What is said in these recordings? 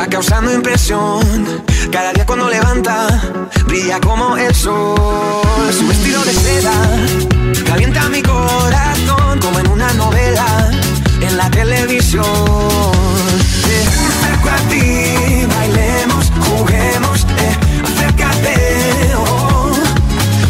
va causando impresión. Cada día cuando levanta, brilla como el sol. Su vestido de seda calienta mi corazón, como en una novela en la televisión. Me acerco a ti, bailemos, juguemos, acércate, oh,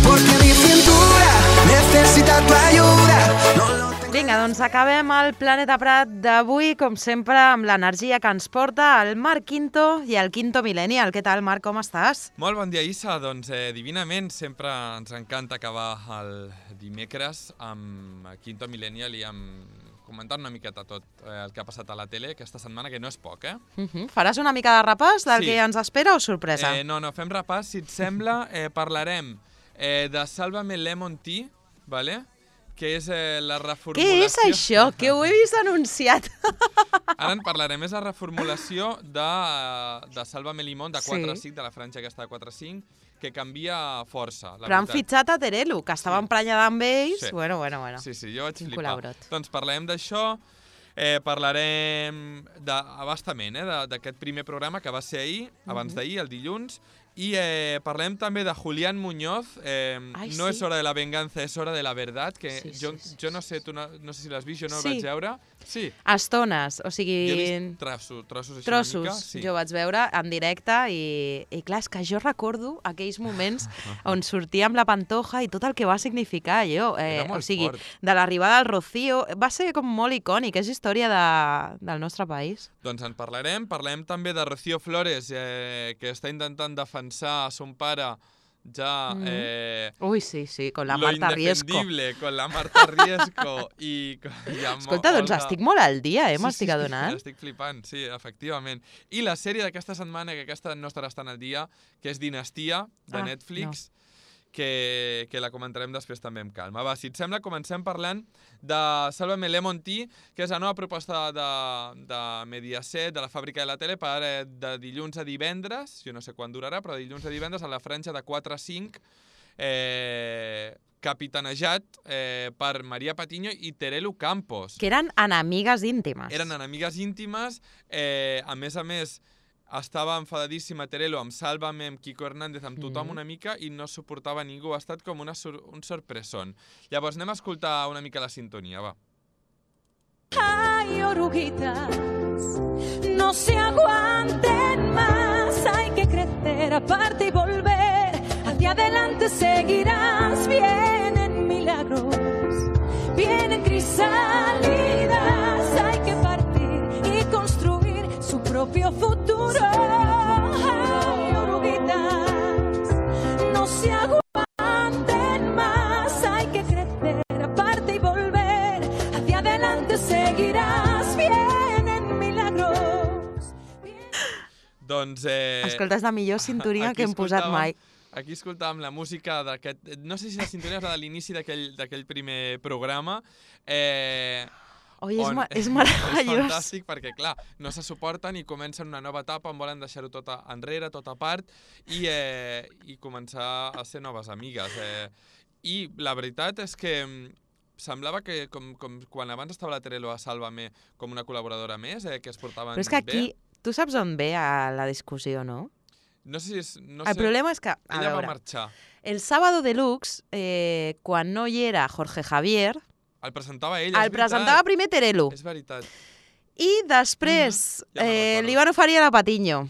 porque mi cintura necesita tu ayuda. No lo tengo... Vinga, doncs acabem el Planeta Prat d'avui, com sempre, amb l'energia que ens porta el Marc Quinto i el Quinto Millennial. Què tal, Marc, com estàs? Molt bon dia, Issa. Doncs divinament, sempre ens encanta acabar el dimecres amb Quinto Millennial i amb comentant una miqueta tot el que ha passat a la tele aquesta setmana, que no és poc, eh? Faràs una mica de repàs del Sí. que ens espera o sorpresa? No, fem repàs. Si et sembla, parlarem de Sálvame Lemon Tea, vale? Que és la reformulació... Què és això? Que ho he vist anunciat. Ara en parlarem. És la reformulació de Sálvame Limón, de 4-5, de la franja aquesta de 4-5, que canvia força. Però han fitxat a Terelu, que estava emprenyada amb ells. Sí. Bueno. Sí, jo vaig Quin flipar. col·laborat. Doncs parlarem d'això, parlarem abastament d'aquest primer programa que va ser ahir, abans d'ahir, el dilluns, i parlem també de Julián Muñoz, no és hora de la venganza, és hora de la verdad, que jo no sé, tu no sé si l'has vist, jo no el vaig veure. Sí. Estones, o sigui... Jo he vist trossos així Trossos, una mica. Sí. jo vaig veure en directe i clar, és que jo recordo aquells moments on sortia amb la Pantoja i tot el que va significar allò. Era molt O sigui, fort. de l'arribada del Rocío, va ser com molt icònic, és història del nostre país. Doncs en parlarem també de Rocío Flores, que està intentant defensar a son pare ja... Ui, sí, con la lo Marta Riesco. indefendible, con la Marta Riesco i... Escolta, doncs estic molt al dia, m'estic adonant. Sí, estic flipant, sí, efectivament. I la sèrie d'aquesta setmana, que aquesta no estarà tan al dia, que és Dinastia, de Netflix, que la comentarem després també amb calma. Va, si et sembla, comencem parlant de Sálvame Lemon Tea, que és la nova proposta de Mediaset, de la fàbrica de la tele, per de dilluns a divendres, jo no sé quan durarà, però de dilluns a divendres a la franja de 4 a 5, capitanejat per Maria Patiño i Terelu Campos. Que eren enemigues íntimes. Eren enemigues íntimes, a més, estava enfadadíssima Terelu amb Sálvame, amb Quico Hernández, amb tothom una mica, i no suportava ningú. Ha estat com un sorpresón. Llavors anem a escoltar una mica la sintonia, va. Hay oruguitas, no se aguanten más, hay que crecer aparte y volver, hacia adelante seguirás, vienen milagros, vienen crisálidas, hay que partir y construir su propio futuro. Hay oruguitas, no se aguanten más, hay que crecer aparte y volver, hacia adelante seguirás, vienen milagros. Doncs... Escolta, és la millor sintonia que hem posat mai. Aquí escoltàvem la música d'aquest... No sé si la sintonia és la de l'inici d'aquell primer programa. Oi, és meravellós. És fantàstic perquè, clar, no se suporten i comencen una nova etapa on volen deixar-ho tot enrere, tot a part, i començar a ser noves amigues. I la veritat és que semblava que, com quan abans estava la Terelu a Sálvame com una col·laboradora més, que es portaven bé. Però és que aquí, tu saps on ve la discussió, no? No sé si és... El problema és que, a ella veure, va marxar. el Sábado Deluxe, quan no hi era Jorge Javier, El presentava ella, el presentava primer Terelu. És veritat. I després Ja me'n recordo. li van oferir a la Patiño.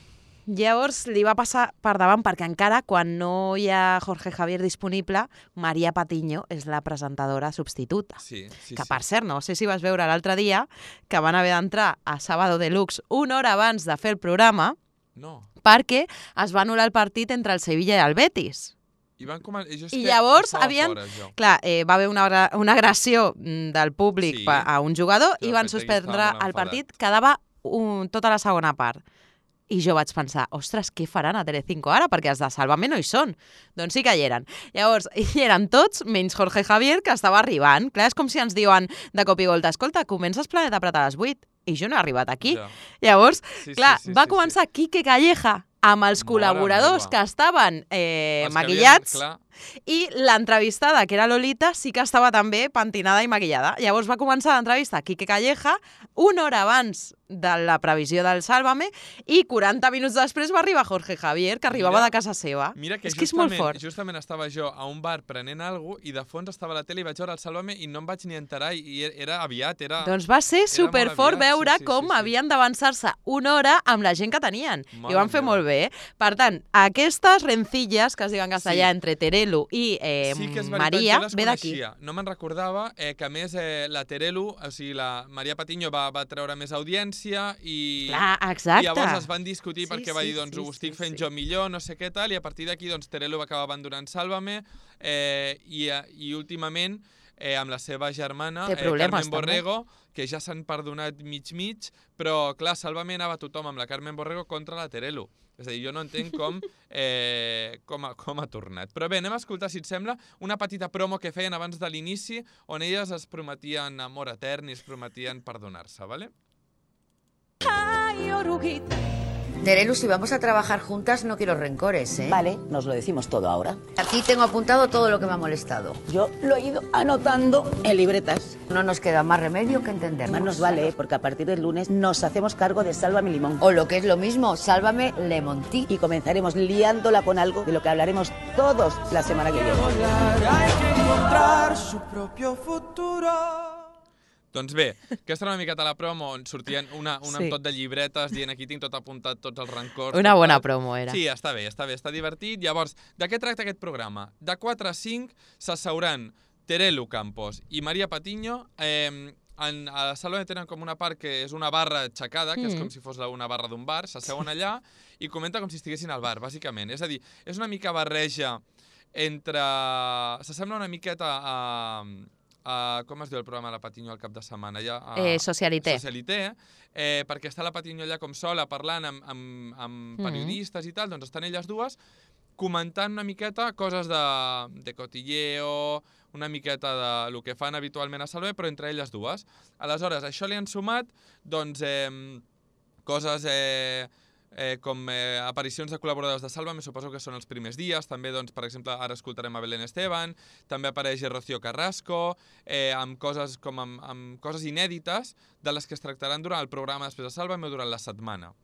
Llavors li va passar per davant perquè encara quan no hi ha Jorge Javier disponible, Maria Patiño és la presentadora substituta. Sí. Que per cert, no sé si vas veure l'altre dia que van haver d'entrar a Sábado Deluxe una hora abans de fer el programa perquè es va anul·lar el partit entre el Sevilla i el Betis. I llavors clar, va haver una agressió del públic a un jugador i van suspendre el partit, quedava tota la segona part. I jo vaig pensar, ostres, què faran a Telecinco ara? Perquè els de Sálvame no hi són. Doncs sí que hi eren. Llavors, hi eren tots, menys Jorge Javier, que estava arribant. Clar, és com si ens diuen de cop i volta, escolta, comences Planeta Prat a les 8 i jo no he arribat aquí. Llavors, clar, va començar Quique Calleja amb els col·laboradors que estaven maquillats i l'entrevistada, que era Lolita, sí que estava també pentinada i maquillada. Llavors va començar l'entrevista Quique Calleja una hora abans de la previsió del Sálvame i 40 minuts després va arribar Jorge Javier, que arribava de casa seva. Mira que és molt fort. Justament estava jo a un bar prenent alguna cosa i de fons estava a la tele i vaig veure el Sálvame i no em vaig ni enterar i era aviat, Doncs va ser superfort veure com havien d'avançar-se una hora amb la gent que tenien. I ho van fer molt bé. Per tant, aquestes rencilles que es diuen en castellà entre Terelu i Maria ve d'aquí. No me'n recordava que a més la Terelu, o sigui, la Maria Patiño va treure més audiència i llavors es van discutir perquè va dir, doncs ho estic fent jo millor, no sé què tal, i a partir d'aquí doncs Terelu va acabar abandonant Sálvame i últimament amb la seva germana Carmen Borrego, que ja s'han perdonat mig, però clar, Sálvame anava tothom amb la Carmen Borrego contra la Terelu. És a dir, jo no entenc com ha tornat. Però bé, anem a escoltar, si et sembla, una petita promo que feien abans de l'inici, on elles es prometien amor etern i es prometien perdonar-se, ¿vale? Ay, oruguita. Terelu, si vamos a trabajar juntas, no quiero rencores, ¿eh? Vale, nos lo decimos todo ahora. Aquí tengo apuntado todo lo que me ha molestado. Yo lo he ido anotando en libretas. No nos queda más remedio que entendernos. Más nos vale, porque a partir del lunes nos hacemos cargo de Sálvame Limón. O lo que es lo mismo, Sálvame Lemontí. Y comenzaremos liándola con algo de lo que hablaremos todos la semana que viene. Hay que encontrar su propio futuro. Doncs bé, aquesta era una miqueta la promo on sortien una amb tot de llibretes dient aquí tinc tot apuntat, tots els rancors. Una bona promo era. Sí, està bé, està divertit. Llavors, de què tracta aquest programa? De 4 a 5 s'asseuran Terelu Campos i Maria Patiño. A la Sálvame tenen com una part que és una barra aixecada, que és com si fos una barra d'un bar, s'asseuen allà i comenten com si estiguessin al bar, bàsicament. És a dir, és una mica barreja entre... S'assembla una miqueta a... com es diu el programa de la Patiño al cap de setmana? Socialité. Socialité, perquè està la Patiño allà com sola parlant amb periodistes i tal, doncs estan elles dues comentant una miqueta coses de cotilleo, una miqueta de lo que fan habitualment a Sálvame, però entre elles dues. Aleshores, això li han sumat doncs, coses... com aparicions de col·laboradors de Sálvame, suposo que són els primers dies. També, doncs, per exemple, ara escoltarem a Belén Esteban, també apareix Rocío Carrasco, amb coses inèdites de les que es tractaran durant el programa després de Sálvame o durant la setmana.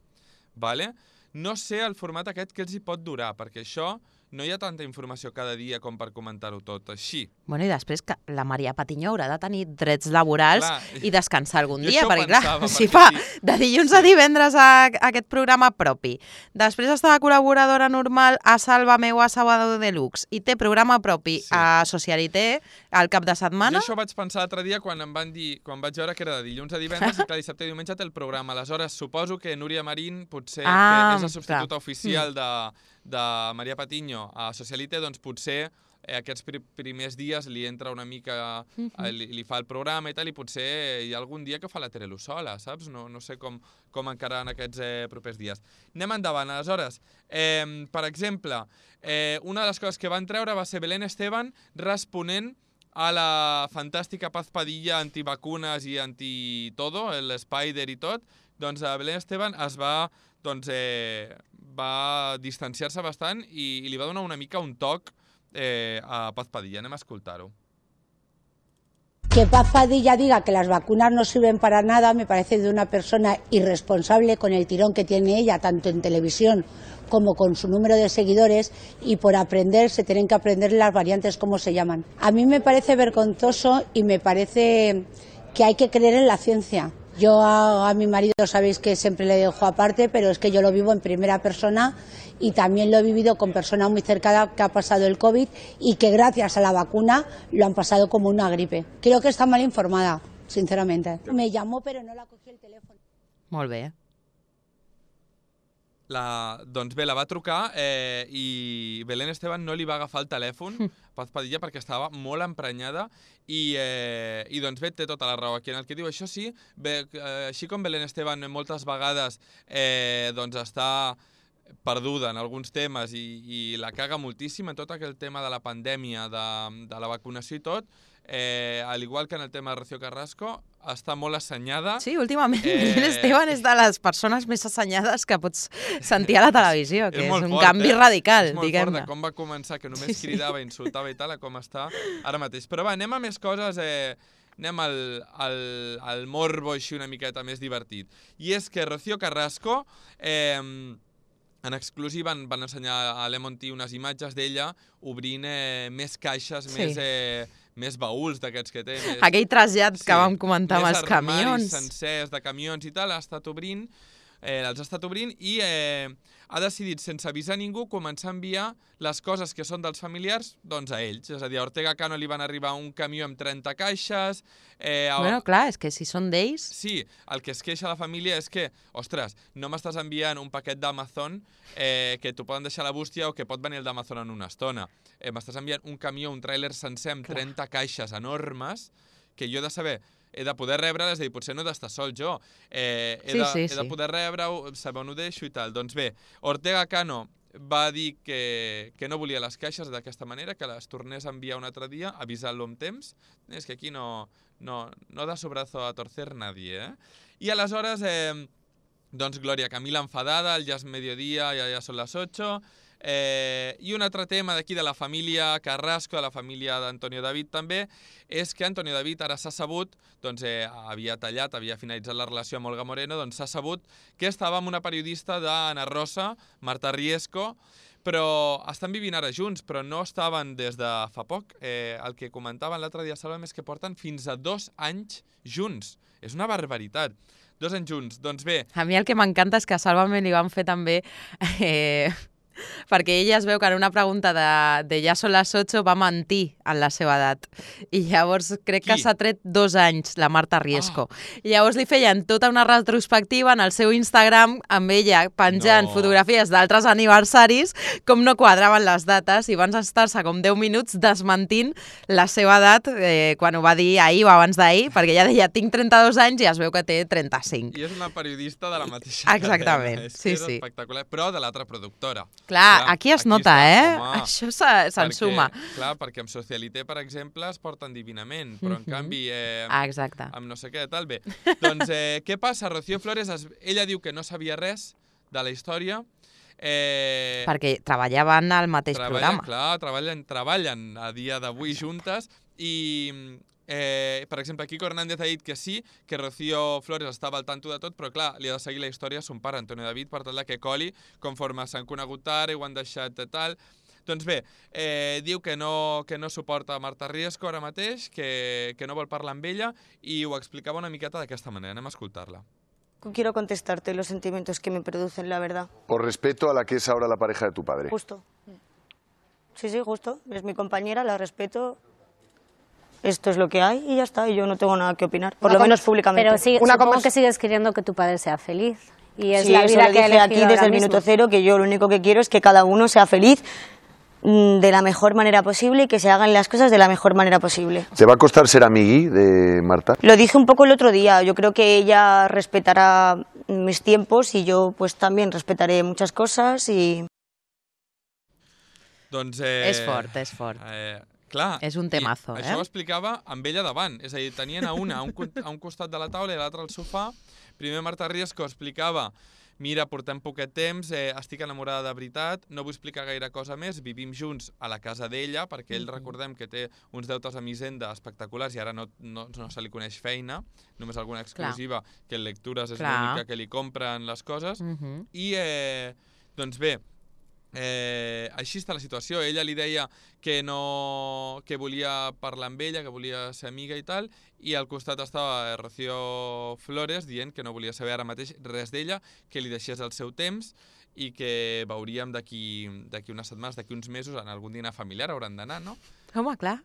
Vale? No sé el format aquest que els hi pot durar, perquè això no hi ha tanta informació cada dia com per comentar-ho tot així. Bueno, i després que la Maria Patiño haurà de tenir drets laborals i descansar algun dia, perquè clar, si fa de dilluns a divendres aquest programa propi, després està de col·laboradora normal a Sálvame o a Sábado Deluxe i té programa propi a Socialité al cap de setmana... Jo això vaig pensar l'altre dia quan em van dir, quan vaig veure que era de dilluns a divendres i clar, dissabte i diumenge té el programa. Aleshores, suposo que Núria Marín potser, que és la substituta oficial de Maria Patiño a Socialité, doncs potser aquests primers dies li entra una mica, li fa el programa i tal, i potser hi ha algun dia que fa la Terelu sola, saps? No sé com encararan aquests propers dies. Anem endavant. Aleshores, per exemple, una de les coses que van treure va ser Belén Esteban responent a la fantàstica Paz Padilla antivacunes i anti-todo, l'Spider i tot. Doncs Belén Esteban es va distanciar-se bastant i li va donar una mica un toc a Paz Padilla. Anem a escoltar-ho. Que Paz Padilla diga que las vacunas no sirven para nada me parece de una persona irresponsable con el tirón que tiene ella, tanto en televisión como con su número de seguidores, y por aprender se tienen que aprender las variantes como se llaman. A mí me parece vergonzoso y me parece que hay que creer en la ciencia. Yo a mi marido sabéis que siempre le dejo aparte, pero es que yo lo vivo en primera persona y también lo he vivido con personas muy cercanas que ha pasado el COVID y que gracias a la vacuna lo han pasado como una gripe. Creo que está mal informada, sinceramente. Me llamó pero no la cogí el teléfono. Molt bé. Doncs bé, la va trucar i Belén Esteban no li va agafar el telèfon, Paz Padilla, perquè estava molt emprenyada i doncs bé, té tota la raó aquí en el que diu. Això sí, així com Belén Esteban moltes vegades doncs està perduda en alguns temes i la caga moltíssim en tot aquell tema de la pandèmia, de la vacunació i tot, al igual que en el tema de Rocío Carrasco, està molt assenyada. Sí, últimament Belén Esteban és de les persones més assenyades que pots sentir a la televisió, que és un canvi radical, diguem-ne. És molt fort de com va començar, que només cridava, insultava i tal, a com està ara mateix. Però va, anem a més coses anem al morbo així una miqueta més divertit. I és que Rocío Carrasco, en exclusiva van ensenyar a Lemon Tea unes imatges d'ella obrint més caixes, més baúls d'aquests que té. Aquell trasllat que vam comentar amb els camions. Més armaris sencers de camions i tal, els ha estat obrint i ha decidit, sense avisar ningú, començar a enviar les coses que són dels familiars doncs a ells. És a dir, a Ortega Cano li van arribar un camió amb 30 caixes... Bueno, clar, és que si són d'ells... Sí, el que es queixa la família és que, ostres, no m'estàs enviant un paquet d'Amazon que t'ho poden deixar a la bústia o que pot venir el d'Amazon en una estona. M'estàs enviant un camió, un tràiler sencer amb 30 caixes enormes que jo he de saber... He de poder rebre-les, és a dir, potser no he d'estar sol jo. He de poder rebre-ho, saber on ho deixo i tal. Doncs bé, Ortega Cano va dir que no volia les caixes d'aquesta manera, que les tornés a enviar un altre dia, avisant-lo amb temps. És que aquí no da su brazo a torcer nadie, I aleshores, doncs, Gloria Camila enfadada, ja és mediodía, ja són les 8, i un altre tema d'aquí de la família Carrasco, de la família d'Antonio David també, és que Antonio David ara s'ha sabut, doncs havia finalitzat la relació amb Olga Moreno, doncs s'ha sabut que estava amb una periodista d'Ana Rosa, Marta Riesco, però estan vivint ara junts, però no estaven des de fa poc. El que comentaven l'altre dia, Sálvame, és que porten fins a 2 anys junts. És una barbaritat. 2 anys junts. Doncs bé... A mi el que m'encanta és que a Sálvame li van fer també... perquè ella es veu que en una pregunta de ja són les 8 va mentir en la seva edat. I llavors crec que s'ha tret 2 anys, la Marta Riesco. I llavors li feien tota una retrospectiva en el seu Instagram amb ella penjant fotografies d'altres aniversaris, com no quadraven les dates, i van estar-se com 10 minuts desmentint la seva edat quan ho va dir ahir o abans d'ahir, perquè ella deia tinc 32 anys i es veu que té 35. I és una periodista de la mateixa Exactament, cadena. És espectacular, però de l'altra productora. Clar, aquí es nota, Això s'ensuma. Clar, perquè amb Socialité, per exemple, es porten divinament, però en canvi... Exacte. Amb no sé què, tal, bé. Doncs, què passa? Rocío Flores, ella diu que no sabia res de la història. Perquè treballaven al mateix programa. Clar, treballen a dia d'avui juntes i... per exemple, Kiko Hernández ha dit que sí, que Rocío Flores estava al tanto de tot, però clar, li ha de seguir la història a son pare, Antonio David, per tal que coli, conforme s'han conegut ara i ho han deixat de tal. Doncs bé, diu que no suporta Marta Riesco ara mateix, que no vol parlar amb ella, i ho explicava una miqueta d'aquesta manera. Anem a escoltar-la. Quiero contestarte los sentimientos que me producen, la verdad. Por respeto a la que es ahora la pareja de tu padre. Justo. Sí, justo. Es mi compañera, la respeto. Esto es lo que hay y ya está, y yo no tengo nada que opinar, por lo menos públicamente. Pero supongo que sigues queriendo que tu padre sea feliz. Y es la vida eso lo que dije aquí desde el minuto cero, que yo lo único que quiero es que cada uno sea feliz de la mejor manera posible y que se hagan las cosas de la mejor manera posible. ¿Te va a costar ser amigui de Marta? Lo dije un poco el otro día, yo creo que ella respetará mis tiempos y yo pues también respetaré muchas cosas y... Doncs, és fort. Clar, és un temazo, això ho explicava amb ella davant, és a dir, tenien a un costat de la taula i a l'altre al sofà. Primer Marta Riesco explicava, mira, portem poquet temps, estic enamorada de veritat, no vull explicar gaire cosa més, vivim junts a la casa d'ella, perquè ell recordem que té uns deutes amb Hisenda espectaculars i ara no se li coneix feina, només alguna exclusiva, que en lectures és l'única que li compren les coses, i doncs bé, així està la situació. Ella li deia que volia parlar amb ella, que volia ser amiga i tal, i al costat estava Rocío Flores dient que no volia saber ara mateix res d'ella, que li deixés el seu temps i que veuríem d'aquí unes setmanes, d'aquí uns mesos, en algun dinar familiar hauran d'anar, no? Home, clar.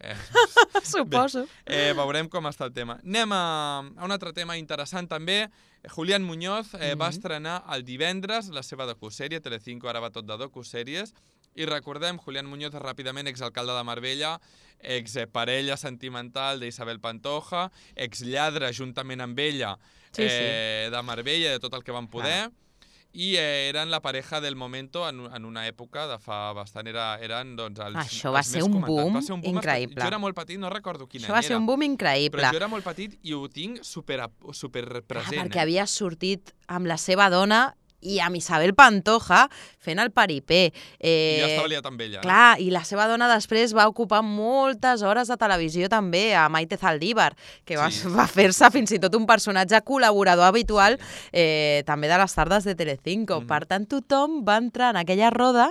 Suposo. Bé, veurem com està el tema. Anem a un altre tema interessant també. Julián Muñoz va estrenar el divendres la seva docusèrie, Telecinco ara va tot de docusèries, i recordem, Julián Muñoz és ràpidament exalcalde de Marbella, exparella sentimental d'Isabel Pantoja, exlladre juntament amb ella de Marbella, de tot el que van poder, i eren la pareja del momento en una època de fa bastant, eren doncs els Això va ser un boom increïble. Jo era molt petit, no recordo quin any era. Això va ser un boom increïble. Però jo era molt petit i ho tinc super present. Perquè havia sortit amb la seva dona i amb Isabel Pantoja fent el paripé. I ja estava liat amb ella. Clar, i la seva dona després va ocupar moltes hores de televisió també, a Maite Zaldívar, que va fer-se fins i tot un personatge col·laborador habitual també de les tardes de Telecinco. Per tant, tothom va entrar en aquella roda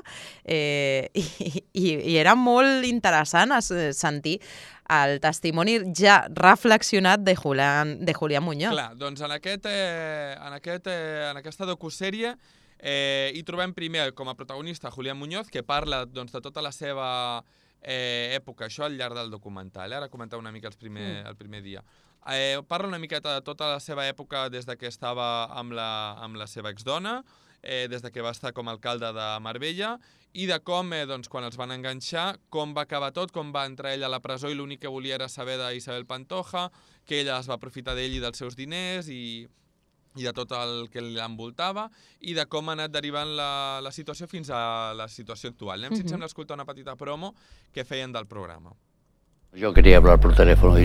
i era molt interessant sentir el testimoni ja reflexionat de Julián Muñoz. Clar, doncs en aquesta docusèrie hi trobem primer com a protagonista Julián Muñoz, que parla de tota la seva època, això al llarg del documental. Ara comentar una mica el primer dia. Parla una miqueta de tota la seva època des que estava amb la seva exdona, des que va estar com a alcalde de Marbella, i de com, quan els van enganxar, com va acabar tot, com va entrar ell a la presó i l'únic que volia era saber d'Isabel Pantoja, que ella es va aprofitar d'ell i dels seus diners i de tot el que l'envoltava, i de com ha anat derivant la situació fins a la situació actual. Anem, si et sembla, a escoltar una petita promo que feien del programa. Yo quería hablar por teléfono,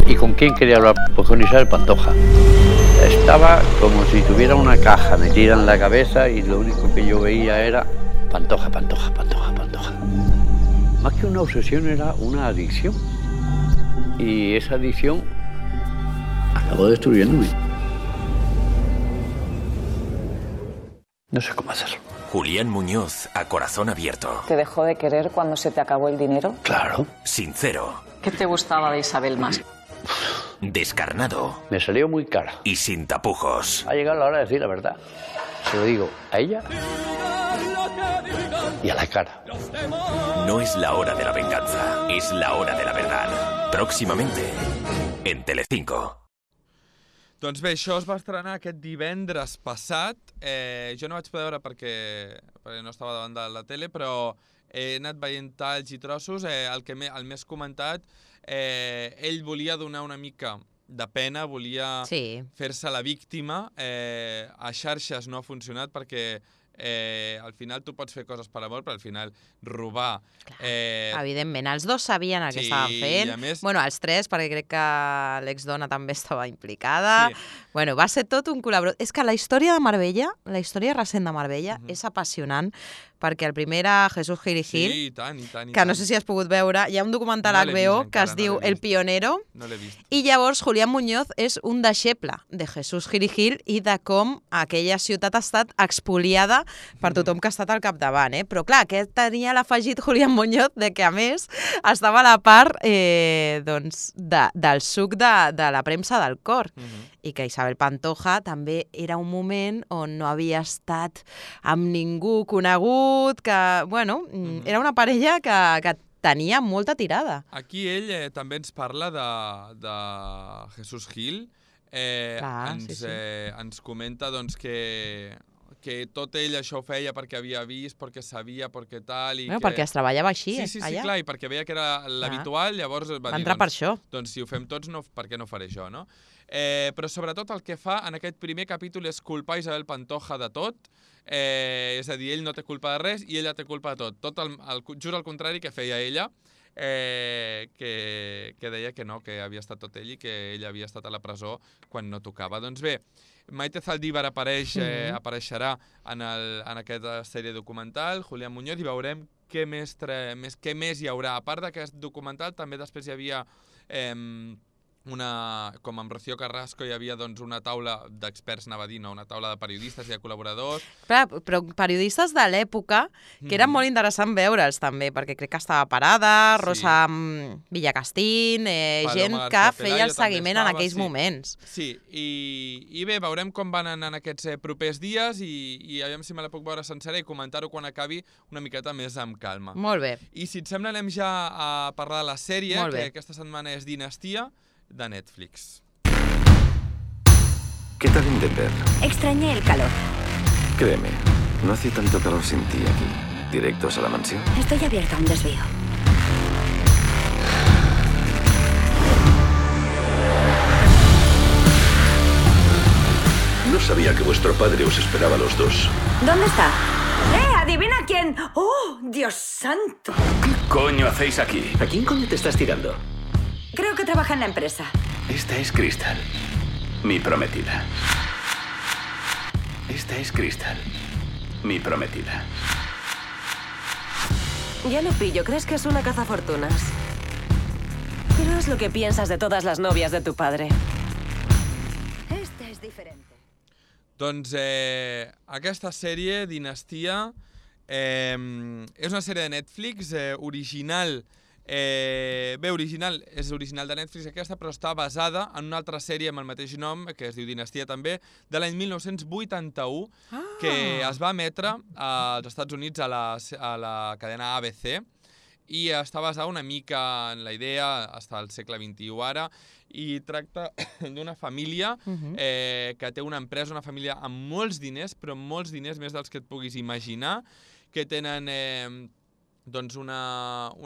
¿Y con quién quería hablar? Pues con Isabel Pantoja. Estaba como si tuviera una caja metida en la cabeza y lo único que yo veía era Pantoja, Pantoja, Pantoja, Pantoja. Más que una obsesión era una adicción. Y esa adicción acabó destruyéndome. No sé cómo hacerlo. Julián Muñoz, a corazón abierto. ¿Te dejó de querer cuando se te acabó el dinero? Claro. Sincero. ¿Qué te gustaba de Isabel más? Descarnado. Me salió muy cara. Y sin tapujos. Ha llegado la hora de decir la verdad. Se lo digo a ella y a la cara. No es la hora de la venganza, es la hora de la verdad. Próximamente, en Telecinco. Doncs bé, això es va estrenar aquest divendres passat. Jo no vaig poder veure perquè no estava davant de la tele, però he anat veient talls i trossos. El més comentat, ell volia donar una mica de pena, volia fer-se la víctima. A xarxes no ha funcionat perquè al final tu pots fer coses per amor, però al final robar... Evidentment, els dos sabien el que estaven fent. Més... Bueno, els tres, perquè crec que l'exdona també estava implicada. Bueno, va ser tot un col·laborador. És que la història de Marbella, la història recent de Marbella, és apassionant, perquè el primer era Jesús Gil i Gil, que no sé si has pogut veure. Hi ha un documental HBO que es diu El Pionero, i llavors Julián Muñoz és un deixeble de Jesús Gil i Gil i de com aquella ciutat ha estat expoliada per tothom que ha estat al capdavant. Però clar, aquest tenia l'afegit Julián Muñoz de que a més estava a la part del suc de la premsa del cor, i que Isabel Pantoja també era un moment on no havia estat amb ningú conegut, que, bueno, era una parella que tenia molta tirada. Aquí ell també ens parla de Jesús Gil, ens comenta doncs que tot ell això ho feia perquè havia vist, perquè sabia, perquè tal... Perquè es treballava així, allà. Sí, clar, i perquè veia que era l'habitual, llavors va dir, entrar per això. Doncs si ho fem tots, per què no faré jo, no? Però sobretot el que fa en aquest primer capítol és culpar Isabel Pantoja de tot, és a dir, ell no té culpa de res i ella té culpa de tot. Just al contrari que feia ella, que deia que no, que havia estat tot ell i que ella havia estat a la presó quan no tocava. Doncs bé, Maite Zaldívar apareixerà en aquesta sèrie documental, Julián Muñoz, i veurem què més hi haurà. A part d'aquest documental, també després hi havia... com amb Rocío Carrasco hi havia una taula d'experts, anava a dir, una taula de periodistes i de col·laboradors. Però periodistes de l'època, que eren molt interessant veure'ls també, perquè crec que estava Parada, Rosa Villacastín, gent que feia el seguiment en aquells moments. Sí, i bé, veurem com van anar en aquests propers dies i aviam si me la puc veure sencera i comentar-ho quan acabi una miqueta més amb calma. Molt bé. I si et sembla anem ja a parlar de la sèrie, que aquesta setmana és Dinastia, de Netflix. ¿Qué tal en Denver? Extrañé el calor. Créeme, no hace tanto calor sin ti aquí. ¿Directos a la mansión? Estoy abierta a un desvío. No sabía que vuestro padre os esperaba a los dos. ¿Dónde está? ¡Adivina quién! ¡Oh, Dios santo! ¿Qué coño hacéis aquí? ¿A quién coño te estás tirando? Creo que trabaja en la empresa. Esta es Crystal, mi prometida. Esta es Crystal, mi prometida. Ya lo pillo, crees que es una cazafortunas. Pero es lo que piensas de todas las novias de tu padre. Este es diferente. Doncs aquesta sèrie, Dinastia, és una sèrie de Netflix original. És original de Netflix aquesta, però està basada en una altra sèrie amb el mateix nom, que es diu Dinastia també, de l'any 1981, que es va emetre als Estats Units a la cadena ABC, i està basada una mica en la idea, està al segle XXI ara, i tracta d'una família que té una empresa, una família amb molts diners, però molts diners, més dels que et puguis imaginar, que tenen una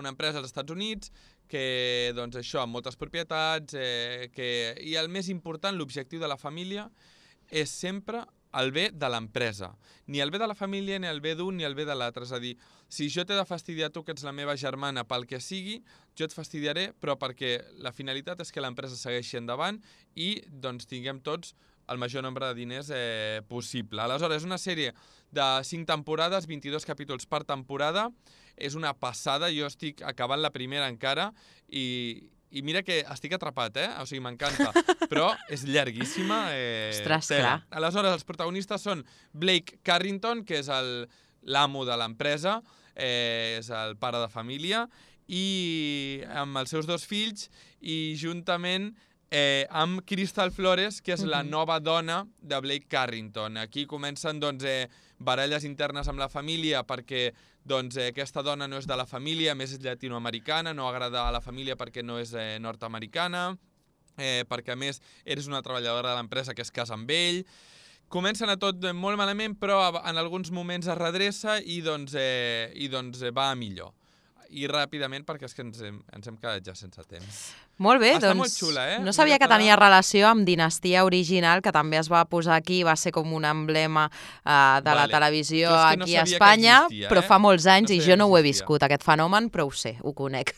empresa als Estats Units que, això, amb moltes propietats, i el més important, l'objectiu de la família és sempre el bé de l'empresa. Ni el bé de la família, ni el bé d'un, ni el bé de l'altre. És a dir, si jo t'he de fastidiar tu, que ets la meva germana, pel que sigui, jo et fastidiaré, però perquè la finalitat és que l'empresa segueixi endavant i tinguem tots el major nombre de diners possible. Aleshores, és una sèrie de 5 temporades, 22 capítols per temporada. És una passada, jo estic acabant la primera encara i mira que estic atrapat, o sigui, m'encanta, però és llarguíssima. Ostres, clar. Aleshores, els protagonistes són Blake Carrington, que és l'amo de l'empresa, és el pare de família, i amb els seus 2 fills, i juntament amb Crystal Flores, que és la nova dona de Blake Carrington. Aquí comencen baralles internes amb la família perquè aquesta dona no és de la família, més és llatinoamericana, no agrada a la família perquè no és nord-americana, perquè a més eres una treballadora de l'empresa que es casa amb ell. Comencen a tot molt malament, però en alguns moments es redreça i va a millor. I ràpidament, perquè és que ens hem quedat ja sense temps. Molt bé, Està molt xula, no sabia que tenia relació amb Dinastia original, que també es va posar aquí, va ser com un emblema de la televisió aquí a Espanya, però fa molts anys i jo no ho he viscut, aquest fenomen, però ho sé, ho conec.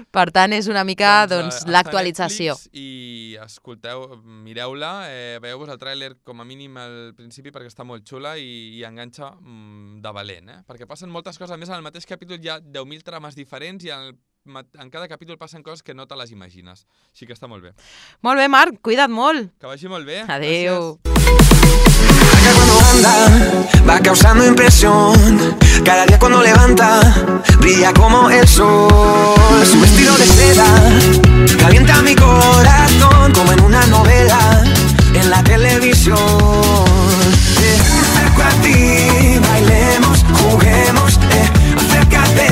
Per tant, és una mica l'actualització. I escolteu, mireu-la, veieu-vos el tràiler com a mínim al principi perquè està molt xula i enganxa de valent, perquè passen moltes coses. A més, en el mateix capítol hi ha 10.000 trames diferents i en cada capítol passen coses que no te les imagines. Així que està molt bé. Molt bé, Marc, cuida't molt. Que vagi molt bé. Adéu. Cuando anda, va causando impresión. Cada día cuando levanta, brilla como el sol. Su vestido de seda calienta mi corazón, como en una novela en la televisión. Me acerco a ti, bailemos, juguemos, acércate,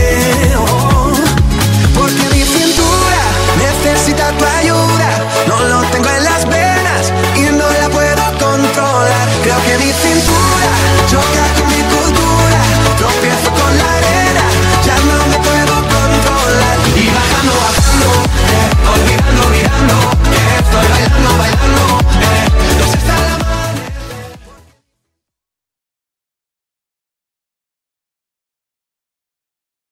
porque mi cintura necesita tu ayuda. No lo tengo en las venas y no la puedo controlar. Creo que mi cintura